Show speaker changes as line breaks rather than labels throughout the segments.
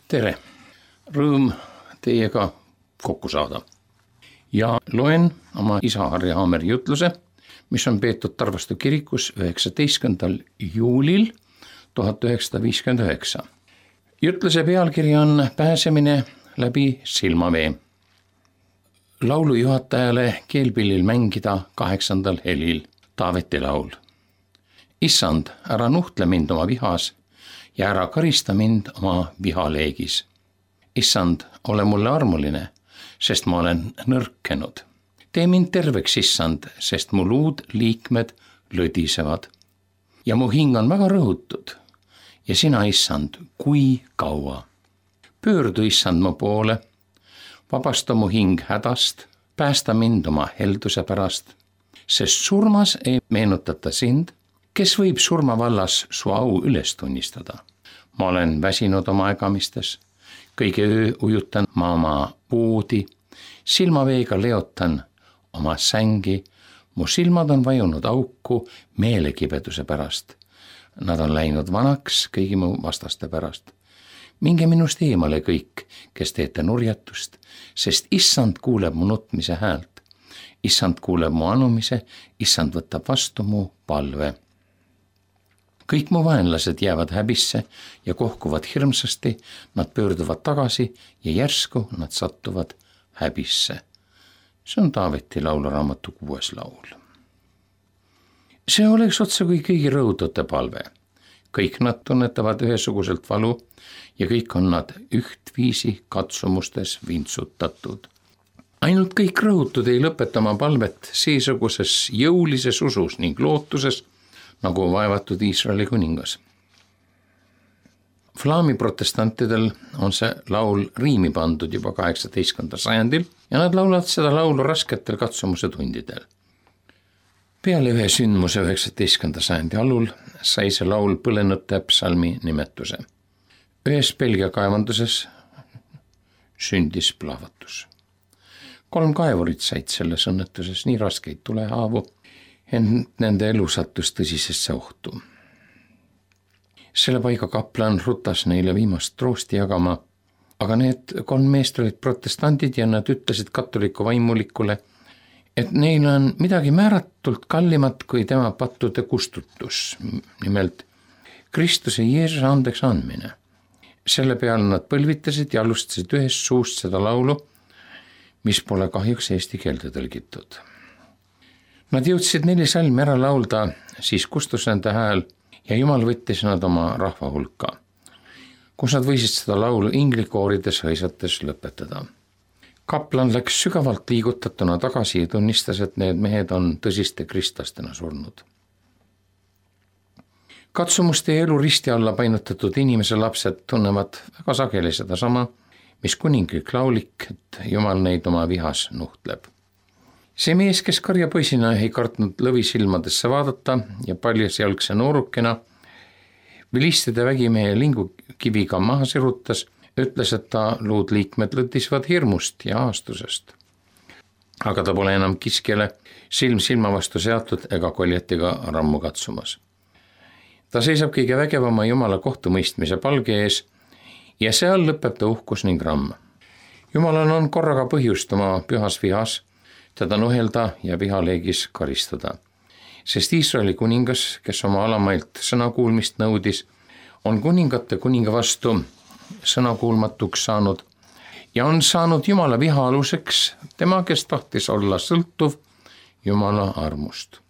tere, rõõm teiega kokku saada ja loen oma isa Harri Haameri jutluse, mis on peetud Tarvastu kirikus 19. juulil 1959. Jutluse pealkiri on Pääsemine läbi silmavee. Laulujuhatajale keelpillil mängida 8. helil Taaveti laul. Issand, ära nuhtle mind oma vihas ja ära karista mind oma vihaleegis. Issand, ole mulle armuline, sest ma olen nõrkenud. Tee mind terveks, issand, sest mu luud liikmed lödisevad. Ja mu hing on väga rõhutud. Ja sina, issand, kui kaua? Pöördu, issand, mu poole, vabasta mu hing hädast, päästa mind oma helduse pärast, sest surmas ei meenutata sind, kes võib surmavallas su au üles tunnistada. Ma olen väsinud oma ägamistes, kõige öö ujutan ma oma voodi, silmaveega leotan oma sängi, mu silmad on vajunud auku meelekibeduse pärast. Nad on läinud vanaks kõigi mu vastaste pärast. Minge minust eemale kõik, kes teete nurjatust, sest issand kuuleb mu nutmise häält. Issand kuuleb mu anumise, issand võtab vastu mu palve. Kõik mu vaenlased jäävad häbisse ja kohkuvad hirmsasti, nad pöörduvad tagasi ja järsku nad sattuvad häbisse. See on Taaveti lauluraamatu 6. laul. See oleks otsa kui kõigi rõhutute palve. Kõik nad tunnetavad ühesuguselt valu ja kõik on nad ühtviisi katsumustes vintsutatud. Ainult kõik rõhutud ei lõpeta oma palvet seesuguses jõulises usus ning lootuses, nagu vaevatud Iisraeli kuningas. Flaami protestantidel on see laul riimi pandud juba 18. sajandil ja nad laulavad seda laulu rasketel katsumuse tundidel. Peale ühe sündmuse 19. sajandi alul sai see laul põlenute psalmi nimetuse. Ühes Belgia kaevanduses sündis plahvatus. 3 kaevurit said selles õnnetuses nii raskeid tulehaavu, ent nende elu sattus tõsisesse ohtu. Selle paiga kaplan rutas neile viimast troosti jagama, aga need 3 meest olid protestandid ja nad ütlesid katoliku vaimulikule, et neil on midagi määratult kallimat kui tema pattude kustutus, nimelt Kristuse Jeesuse andeks andmine. Selle peale nad põlvitasid ja alustasid ühest suust seda laulu, mis pole kahjuks eesti keelde tõlgitud. Nad jõudsid 4 salmi ära laulda, siis kustus nende hääl ja Jumal võttis nad oma rahva hulka, kus nad võisid seda laulu inglikoorides hõisates lõpetada. Kaplan läks sügavalt liigutatuna tagasi ja tunnistas, et need mehed on tõsiste kristlastena surnud. Katsumuste ja elu risti alla painutatud inimese lapsed tunnevad väga sageli seda sama, mis kuninglik laulik, et Jumal neid oma vihas nuhtleb. See mees, kes karjapoisina ei kartnud lõvisilmadesse vaadata ja paljasjalgse noorukena vilistide vägimehe lingukiviga maha sirutas, ütles, et ta luud liikmed lõdisvad hirmust ja aastusest. Aga ta pole enam kiskjale silm silma vastu seatud ega koljetiga rammu katsumas. Ta seisab kõige vägevama Jumala kohtumõistmise palge ees ja seal lõpeb ta uhkus ning ramm. Jumalal on korraga põhjust oma pühas vihas teda nuhelda ja vihaleegis karistada. Sest Iisraeli kuningas, kes oma alamailt sõnakuulmist nõudis, on kuningate kuninga vastu sõnakuulmatuks saanud ja on saanud Jumala viha aluseks tema, kes tahtis olla sõltuv Jumala armust.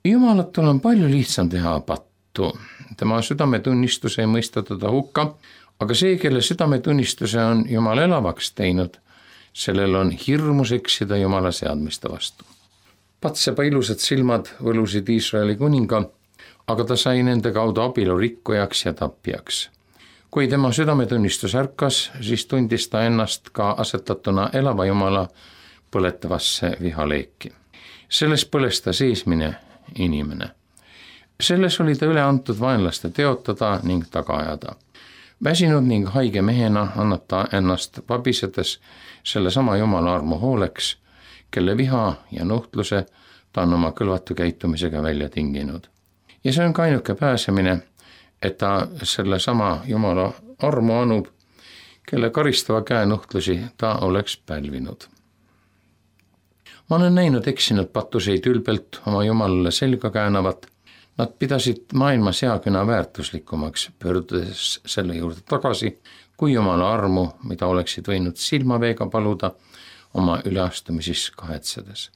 Jumalatul on palju lihtsam teha pattu. Tema südametunnistus ei mõista teda hukka, aga see, kelle südametunnistuse on Jumal elavaks teinud, sellel on hirmus eksida Jumala seadmiste vastu. Patsepa ilusad silmad võlusid Iisraeli kuninga, aga ta sai nende kaudu abielu rikkujaks ja tapjaks. Kui tema südametunnistus ärkas, siis tundis ta ennast ka asetatuna elava Jumala põletavasse vihaleeki. Selles põles ta seesmine inimene. Selles oli ta üle antud vaenlaste teotada ning taga ajada. Väsinud ning haige mehena annab ta ennast vabisedes selle sama Jumala armu hooleks, kelle viha ja nuhtluse ta on oma kõlvatu käitumisega välja tinginud. Ja see on ka ainuke pääsemine, et ta selle sama Jumala armu anub, kelle karistava käenuhtlusi ta oleks pälvinud. Ma olen näinud eksinud patuseid ülbelt oma jumalale selga käänavat. Nad pidasid maailma seaküna väärtuslikumaks, pöördudes selle juurde tagasi, kui jumala armu, mida oleksid võinud silmaveega paluda, oma üleastumises kahetsedes.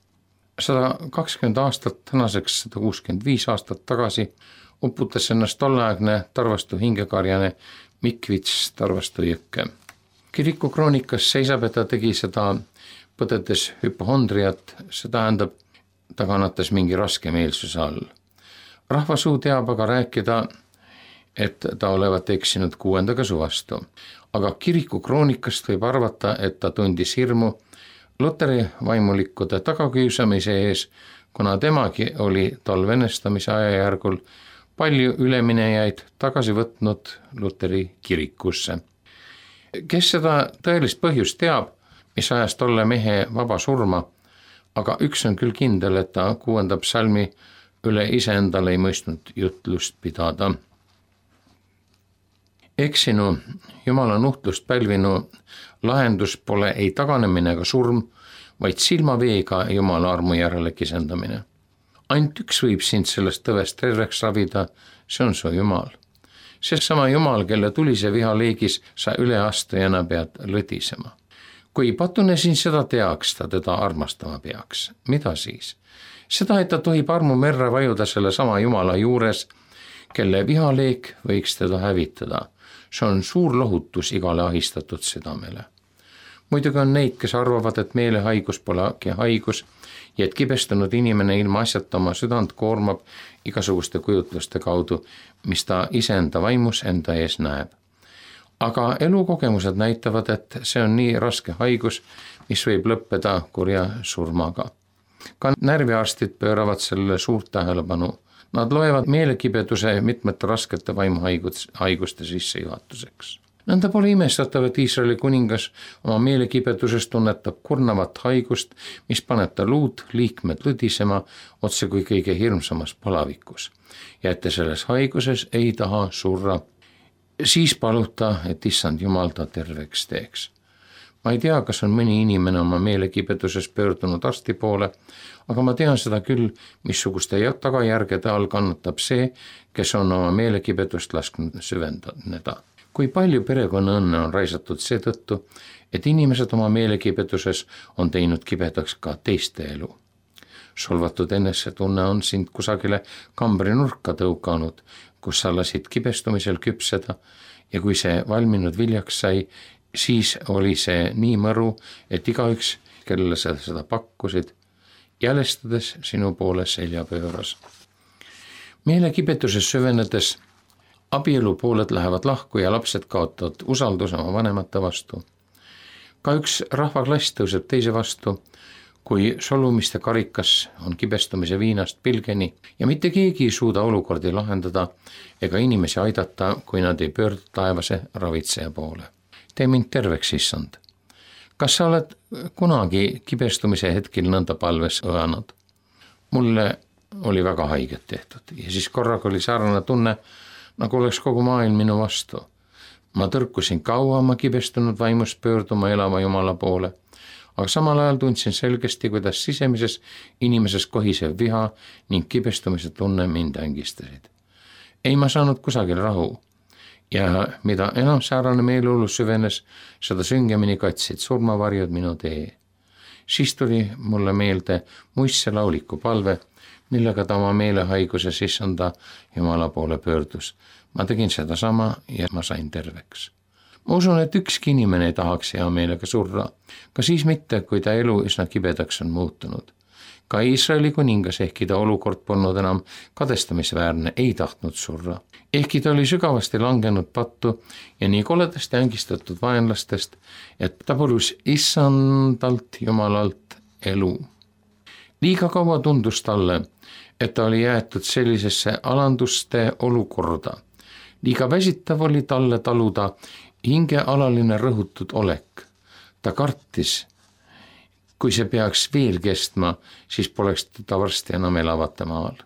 120 aastat, tänaseks 165 aastat tagasi uputas ennast tolleaegne Tarvastu hingekarjane Mikvits Tarvastu jõkke. Kiriku kroonikas seisab, et ta tegi seda põdedes hüpohondriat, see tähendab, ta kannatas mingi raske meelsuse all. Rahvasuu teab aga rääkida, et ta olevat eksinud 6. käsu vastu, aga kiriku kroonikast võib arvata, et ta tundis hirmu Luteri vaimulikkude tagakiusamise ees, kuna temagi oli tol venestamise ajajärgul palju üleminejaid tagasi võtnud Luteri kirikusse. Kes seda tõelist põhjust teab, mis ajas tolle mehe vaba surma, aga üks on küll kindel, et ta 6. psalmi üle iseendale ei mõistnud jutlust pidada. Eksinu, jumala nuhtlust pälvinu lahendus pole ei taganemine ega surm, vaid silmaveega jumala armu järele kisendamine. Ainult üks võib sind sellest tõvest terveks ravida, see on su jumal. See sama jumal, kelle tulise viha leegis sa üleastujana pead lõdisema. Kui patune siin seda teaks, ta teda armastama peaks. Mida siis? Seda, et ta tohib armu merre vajuda selle sama jumala juures, kelle vihaleek võiks teda hävitada. See on suur lohutus igale ahistatud südamele. Muidugi on neid, kes arvavad, et meelehaigus polegi haigus ja et kibestunud inimene ilma asjata oma südant koormab igasuguste kujutluste kaudu, mis ta iseenda vaimus enda ees näeb. Aga elukogemused näitavad, et see on nii raske haigus, mis võib lõppeda kurja surmaga. Ka närviarstid pööravad sellele suurt tähelepanu. Nad loevad meelekibeduse mitmete raskete vaimuhaiguste sissejuhatuseks. Nõnda pole imestatav, et Iisraeli kuningas oma meelekibeduses tunnetab kurnavat haigust, mis paneb ta luud liikmed lõdisema otse kui kõige hirmsamas palavikus. Ja et ta selles haiguses ei taha surra, siis paluta, et issand jumal ta terveks teeks. Ma ei tea, kas on mõni inimene oma meelekibeduses pöördunud arsti poole, aga ma tean seda küll, missuguste tagajärgede all kannatab see, kes on oma meelekibedust lasknud süvendada. Kui palju perekonna õnne on raisatud seetõttu, et inimesed oma meelekibeduses on teinud kibedaks ka teiste elu. Solvatud enesetunne on sind kusagile kambri nurka tõukanud, kus sa lasid kibestumisel küpseda ja kui see valminud viljaks sai, siis oli see nii mõru, et igaüks, kellele sa seda pakkusid, jälestades sinu poole selja pööras. Meelekibeduses süvenedes abielupooled lähevad lahku ja lapsed kaotavad usalduse oma vanemate vastu. Ka üks rahvaklass tõuseb teise vastu, kui solumiste karikas on kibestumise viinast pilgeni ja mitte keegi ei suuda olukordi lahendada ega inimesi aidata, kui nad ei pöördu taevase ravitseja poole. Tee mind terveks, issand. Kas sa oled kunagi kibestumise hetkel nõnda palves õanud? Mulle oli väga haiget tehtud ja siis korraga oli sarnane tunne, nagu oleks kogu maailm minu vastu. Ma tõrkusin kaua oma kibestunud vaimus pöörduma elava jumala poole, aga samal ajal tundsin selgesti, kuidas sisemises inimeses kohisev viha ning kibestumise tunne mind ängistasid. Ei ma saanud kusagil rahu ja mida enam säärane meeleolu süvenes, seda süngemini katsid surmavarjud minu tee. Siis tuli mulle meelde muistse lauliku palve, millega ta oma meelehaiguses issanda jumala poole pöördus. Ma tegin seda sama ja ma sain terveks. Ma usun, et ükski inimene ei tahaks hea meelega surra, ka siis mitte, kui ta elu üsna kibedaks on muutunud. Ka Iisraeli kuningas, ehkki ta olukord polnud enam kadestamisväärne, ei tahtnud surra. Ehkki ta oli sügavasti langenud pattu ja nii koledasti ängistatud vaenlastest, et ta palus issandalt jumalalt elu. Liiga kaua tundus talle, et ta oli jäetud sellisesse alanduste olukorda. Liiga väsitav oli talle taluda hingealaline rõhutud olek. Ta kartis, kui see peaks veel kestma, siis poleks ta varsti enam elavate maal.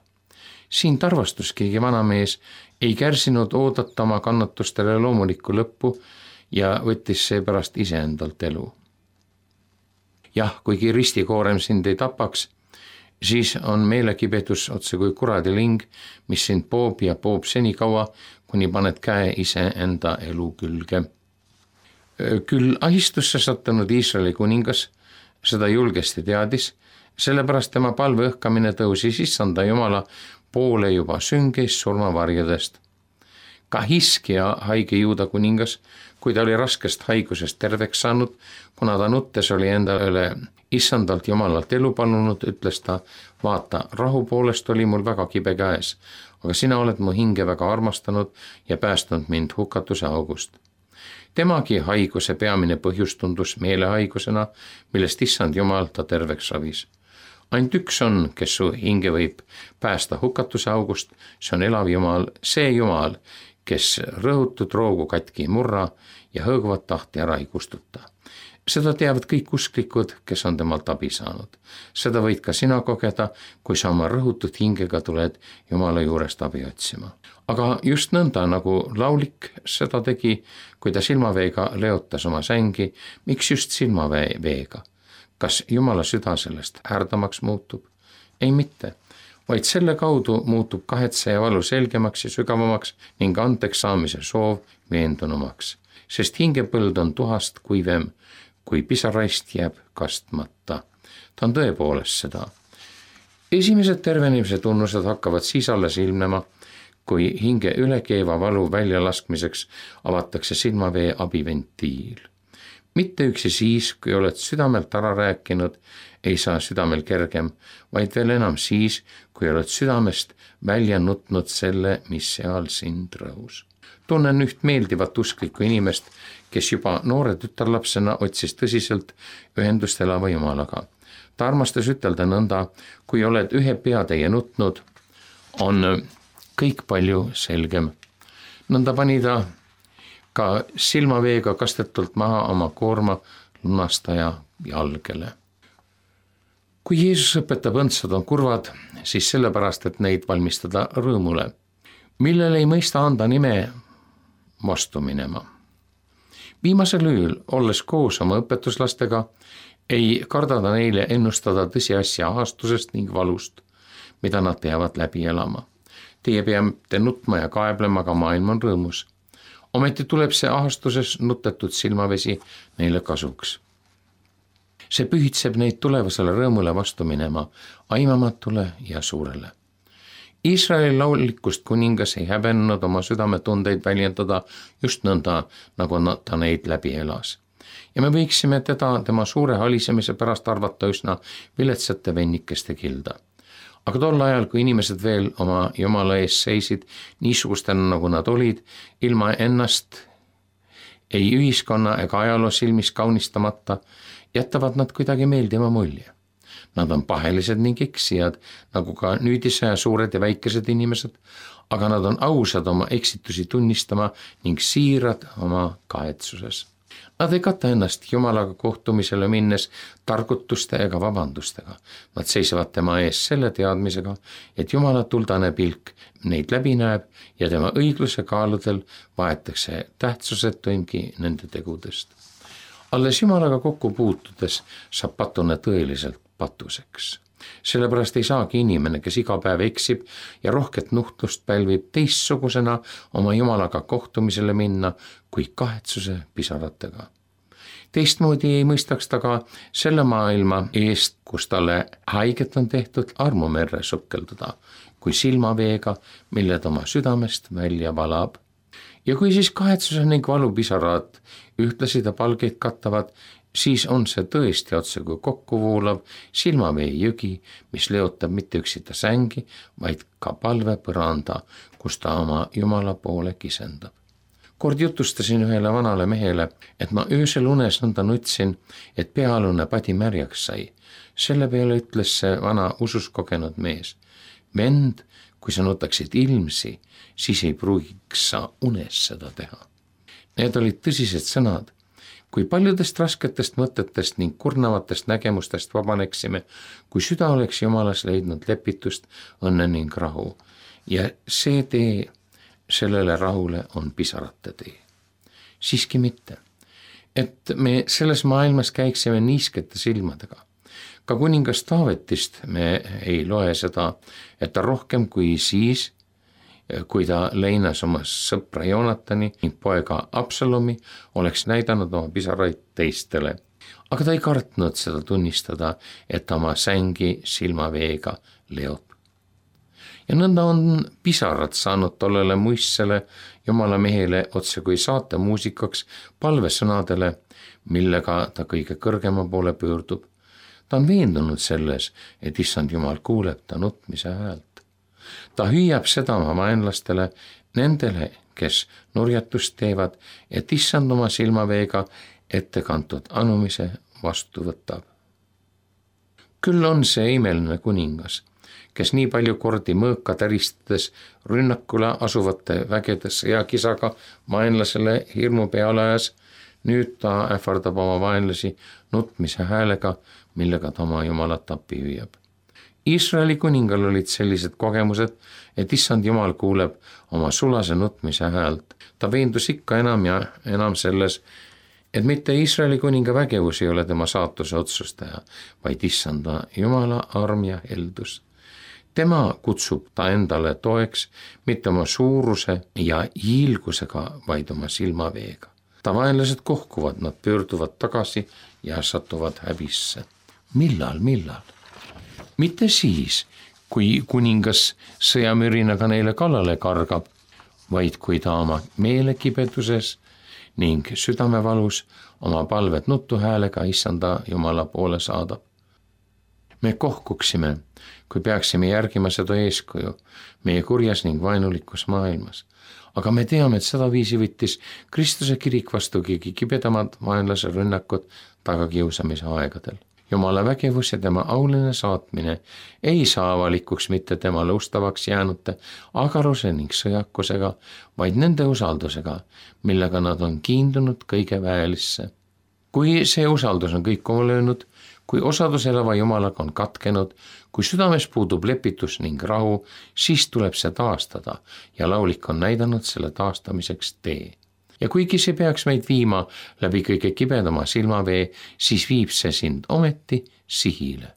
Siin tarvastus keegi vanamees ei kärsinud oodata oma kannatustele loomulikku lõppu ja võttis seepärast iseendalt elu. Jah, kuigi ristikoorem sind ei tapaks, siis on meelekibedus otse kui kuradiling, mis sind poob ja poob senikaua, kuni paned käe iseenda elu külge. Küll ahistusse sattunud Iisraeli kuningas seda julgesti teadis, sellepärast tema palve õhkamine tõusis Issanda Jumala poole juba süngeist surmavarjadest. Ka Hiskia, haige Juuda kuningas, kui ta oli raskest haigusest terveks saanud, kuna ta nuttes oli endale Issandalt Jumalalt elu palunud, ütles ta, vaata, rahu poolest oli mul väga kibe käes, aga sina oled mu hinge väga armastanud ja päästnud mind hukatuse august. Temagi haiguse peamine põhjus tundus meelehaigusena, millest Issand Jumal ta terveks ravis. Ainult üks on, kes su hinge võib päästa hukatuse august, see on elav Jumal, see Jumal, kes rõhutud roogu katki ei murra ja hõõguvat tahti ära ei kustuta. Seda teavad kõik usklikud, kes on temalt abi saanud. Seda võid ka sina kogeda, kui sa oma rõhutud hingega tuled Jumala juurest abi otsima. Aga just nõnda, nagu laulik seda tegi, kui ta silmaveega leotas oma sängi, miks just silmaveega? Kas Jumala süda sellest härdamaks muutub? Ei mitte, vaid selle kaudu muutub kahetse ja valu selgemaks ja sügavamaks ning anteks saamise soov veendunumaks, sest hingepõld on tuhast kuivem, kui pisaraist jääb kastmata. Ta on tõepoolest seda. Esimesed tervenemise tunnused hakkavad siis alles ilmnema, kui hinge ülekeeva valu väljalaskmiseks avatakse silmavee abiventiil. Mitte üksi siis, kui oled südamelt ära rääkinud, ei saa südamel kergem, vaid veel enam siis, kui oled südamest välja nutnud selle, mis seal sind rõhus. Tunnen üht meeldivat usklikku inimest, kes juba noore tütarlapsena otsis tõsiselt ühendust elava Jumalaga. Ta armastas ütelda nõnda, kui oled ühe peatäie nutnud, on kõik palju selgem. Nõnda pani ta ka silmaveega kastetult maha oma koorma lunastaja jalgele. Kui Jeesus õpetab õndsad on kurvad, siis sellepärast, et neid valmistada rõõmule, millele ei mõista anda nime vastu minema. Viimasel ööl, olles koos oma õpetuslastega, ei karda ta neile ennustada tõsiasja ahastusest ning valust, mida nad peavad läbi elama. Teie peate nutma ja kaeblema, aga maailm on rõõmus. Ometi tuleb see ahastuses nutetud silmavesi neile kasuks. See pühitseb neid tulevasele rõõmule vastu minema, aimamatule ja suurele. Iisraeli laulikust kuningas ei häbenenud oma südametundeid väljendada just nõnda, nagu ta neid läbi elas. Ja me võiksime tema suure halisemise pärast arvata üsna viletsate vennikeste kilda. Aga tol ajal, kui inimesed veel oma Jumala ees seisid, niisugustena nagu nad olid, ilma ennast ei ühiskonna ega ajaloo silmis kaunistamata, jätavad nad kuidagi meeldiva mulje. Nad on pahelised ning eksijad, nagu ka nüüdise suured ja väikesed inimesed, aga nad on ausad oma eksitusi tunnistama ning siirad oma kahetsuses. Nad ei kata ennast Jumalaga kohtumisele minnes targutuste ega vabandustega. Nad seisavad tema ees selle teadmisega, et Jumala tuldane pilk neid läbi näeb ja tema õigluse kaaludel vaetakse tähtsusetuimgi nende tegudest. Alles Jumalaga kokku puutudes saab patune tõeliselt patuseks. Sellepärast ei saagi inimene, kes iga päev eksib ja rohket nuhtlust pälvib, teistsugusena oma Jumalaga kohtumisele minna kui kahetsuse pisaratega. Teistmoodi ei mõistaks ta ka selle maailma eest, kus talle haiget on tehtud, armumerre sukelduda, kui silmaveega, mille ta oma südamest välja valab. Ja kui siis kahetsuse ning valupisarad ühtlasi ta palgeid kattavad, siis on see tõesti otse kui kokkuvoolav silmavee jõgi, mis leotab mitte üksita sängi, vaid ka palvepõranda, kus ta oma Jumala poole kisendab. Kord jutustasin ühele vanale mehele, et ma öösel unes nõnda nutsin, et peaalune padi märjaks sai. Selle peale ütles see vana usus kogenud mees, vend, kui sa nutaksid ilmsi, siis ei pruugiks sa unes seda teha. Need olid tõsised sõnad. Kui paljudest rasketest mõtetest ning kurnavatest nägemustest vabaneksime, kui süda oleks Jumalas leidnud lepitust, õnne ning rahu, ja see tee sellele rahule on pisarate tee. Siiski mitte, et me selles maailmas käiksime niiskete silmadega. Ka kuningas Taavetist me ei loe seda, et ta rohkem kui siis, kui ta leinas oma sõpra Joonatani ning poega Absalomi, oleks näidanud oma pisaraid teistele. Aga ta ei kartnud seda tunnistada, et ta oma sängi silmaveega leob. Ja nõnda on pisarad saanud tollele muistsele Jumala mehele otse kui saatemuusikaks palvesõnadele, millega ta kõige kõrgema poole pöördub. Ta on veendunud selles, et Issand Jumal kuuleb ta nutmise häält. Ta hüüab seda oma vaenlastele, nendele, kes nurjatust teevad, et Issand oma silmaveega ettekantud anumise vastu võtab. Küll on see imeline kuningas, kes nii palju kordi mõõka täristades rünnakule asuvate vägede sõjakisaga vaenlasele hirmu peale ajas, nüüd ta ähvardab oma vaenlasi nutmise häälega, millega ta oma Jumalat appi hüüab. Iisraeli kuningal olid sellised kogemused, et Issand Jumal kuuleb oma sulase nutmise häält. Ta veendus ikka enam ja enam selles, et mitte Iisraeli kuninga vägevus ei ole tema saatuse otsustaja, vaid Issanda Jumala arm ja heldus. Tema kutsub ta endale toeks mitte oma suuruse ja hiilgusega, vaid oma silmaveega. Ta vaenlased kohkuvad, nad pöörduvad tagasi ja satuvad häbisse. Millal? Mitte siis, kui kuningas sõjamürinaga neile kallale kargab, vaid kui ta oma meelekibeduses ning südamevalus oma palvet nutuhäälega Issanda Jumala poole saadab. Me kohkuksime, kui peaksime järgima seda eeskuju meie kurjas ning vaenulikus maailmas. Aga me teame, et seda viisi võttis Kristuse kirik vastu kõige kibedamad vaenlase rünnakud tagakiusamise aegadel. Jumala vägevus ja tema auline saatmine ei saa avalikuks mitte temale ustavaks jäänute agaruse ning sõjakusega, vaid nende usaldusega, millega nad on kiindunud kõige väelisse. Kui see usaldus on kõikuma löönud, kui osadus elava Jumalaga on katkenud, kui südames puudub lepitus ning rahu, siis tuleb see taastada ja laulik on näidanud selle taastamiseks tee. Ja kuigi see peaks meid viima läbi kõige kibedama silmavee, siis viib see sind ometi sihile.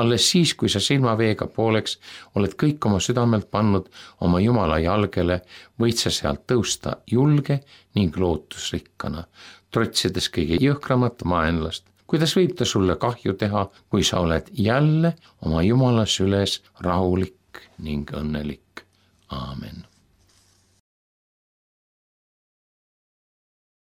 Alles siis, kui sa silmaveega pooleks oled kõik oma südamelt pannud oma Jumala jalgele, võid sa sealt tõusta julge ning lootusrikkana, trotsides kõige jõhkramat vaenlast. Kuidas võib ta sulle kahju teha, kui sa oled jälle oma Jumala süles rahulik ning õnnelik? Aamen.